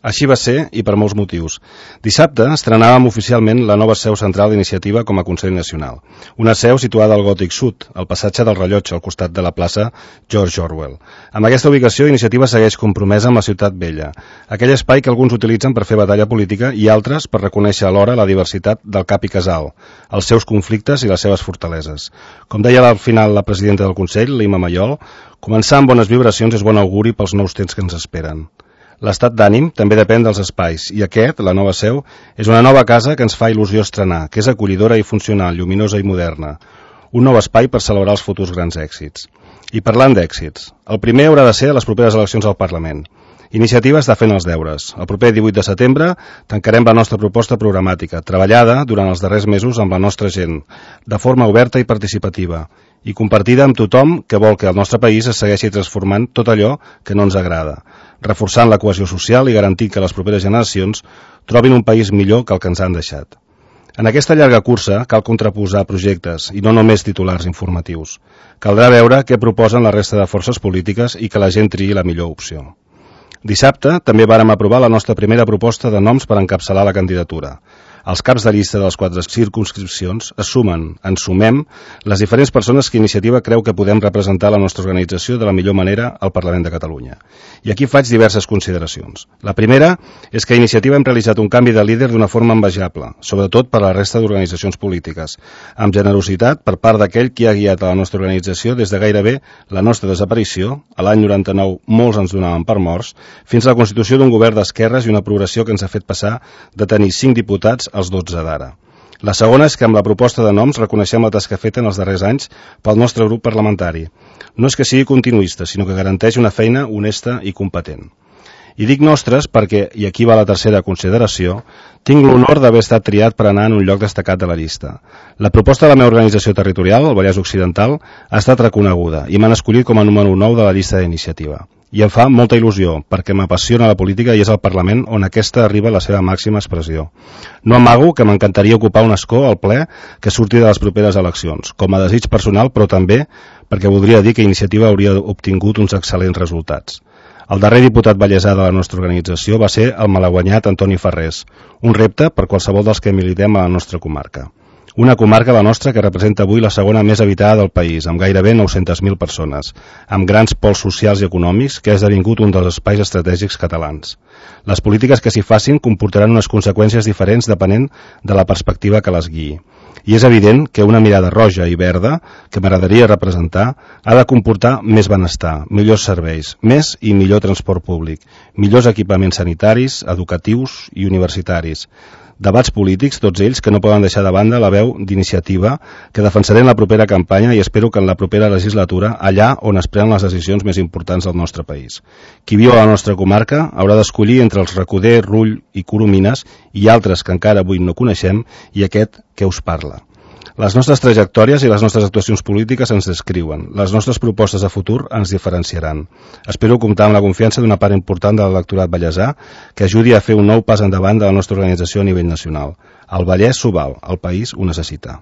Així va ser i per molts motius. Dissabte estrenàvem oficialment la nova seu central d'Iniciativa com a Consell Nacional. Una seu situada al Gòtic Sud, al passatge del Rellotge, al costat de la plaça George Orwell. Amb aquesta ubicació, Iniciativa segueix compromesa amb la ciutat vella, aquell espai que alguns utilitzen per fer batalla política i altres per reconèixer alhora la diversitat del cap i casal, els seus conflictes i les seves fortaleses. Com deia al final la presidenta del Consell, Lima Mayol, començar amb bones vibracions és bon auguri pels nous temps que ens esperen. L'estat d'ànim també depèn dels espais i aquest, la nova seu, és una nova casa que ens fa il·lusió estrenar, que és acollidora i funcional, lluminosa i moderna. Un nou espai per celebrar els futurs grans èxits. I parlant d'èxits, el primer haurà de ser a les properes eleccions al Parlament. Iniciativa està fent els deures. El proper 18 de setembre tancarem la nostra proposta programàtica, treballada durant els darrers mesos amb la nostra gent, de forma oberta i participativa, i compartida amb tothom que vol que el nostre país es segueixi transformant tot allò que no ens agrada, reforçant la cohesió social i garantint que les properes generacions trobin un país millor que el que ens han deixat. En aquesta llarga cursa cal contraposar projectes i no només titulars informatius. Caldrà veure què proposen la resta de forces polítiques i que la gent triï la millor opció. Dissabte també vàrem aprovar la nostra primera proposta de noms per encapçalar la candidatura. Els caps de llista de les 4 circumscripcions ens sumem les diferents persones que Iniciativa creu que podem representar la nostra organització de la millor manera al Parlament de Catalunya. I aquí faig diverses consideracions. La primera és que a Iniciativa hem realitzat un canvi de líder d'una forma envejable, sobretot per a la resta d'organitzacions polítiques, amb generositat per part d'aquell qui ha guiat a la nostra organització des de gairebé la nostra desaparició, a l'any 99 molts ens donaven per morts, fins a la constitució d'un govern d'esquerres i una progressió que ens ha fet passar de tenir 5 diputats als 12 d'ara. La segona és que amb la proposta de noms reconeixem la tasca feta en els darrers anys pel nostre grup parlamentari. No és que sigui continuista, sinó que garanteix una feina honesta i competent. I dic nostres perquè, i aquí va la tercera consideració, tinc l'honor d'haver estat triat per anar en un lloc destacat de la llista. La proposta de la meva organització territorial, el Vallès Occidental, ha estat reconeguda i m'han escollit com a número 9 de la llista d'Iniciativa. I em fa molta il·lusió, perquè m'apassiona la política i és el Parlament on aquesta arriba a la seva màxima expressió. No amago que m'encantaria ocupar un escó al ple que surti de les properes eleccions, com a desig personal, però també perquè voldria dir que Iniciativa hauria obtingut uns excel·lents resultats. El darrer diputat vallesà de la nostra organització va ser el malaguanyat Antoni Ferrés, un repte per qualsevol dels que militem a la nostra comarca. Una comarca, la nostra, que representa avui la segona més habitada del país, amb gairebé 900.000 persones, amb grans pols socials i econòmics, que ha esdevingut un dels espais estratègics catalans. Les polítiques que s'hi facin comportaran unes conseqüències diferents depenent de la perspectiva que les guiï. I és evident que una mirada roja i verda, que m'agradaria representar, ha de comportar més benestar, millors serveis, més i millor transport públic, millors equipaments sanitaris, educatius i universitaris. Debats polítics, tots ells, que no poden deixar de banda la veu d'Iniciativa que defensaré en la propera campanya i espero que en la propera legislatura, allà on es prenen les decisions més importants del nostre país. Qui viu a la nostra comarca haurà d'escollir entre els Recoder, Rull i Coromines i altres que encara avui no coneixem i aquest que us parla. Les nostres trajectòries i les nostres actuacions polítiques ens descriuen. Les nostres propostes de futur ens diferenciaran. Espero comptar amb la confiança d'una part important de l'electorat vallesà que ajudi a fer un nou pas endavant de la nostra organització a nivell nacional. El Vallès s'ho val, el país ho necessita.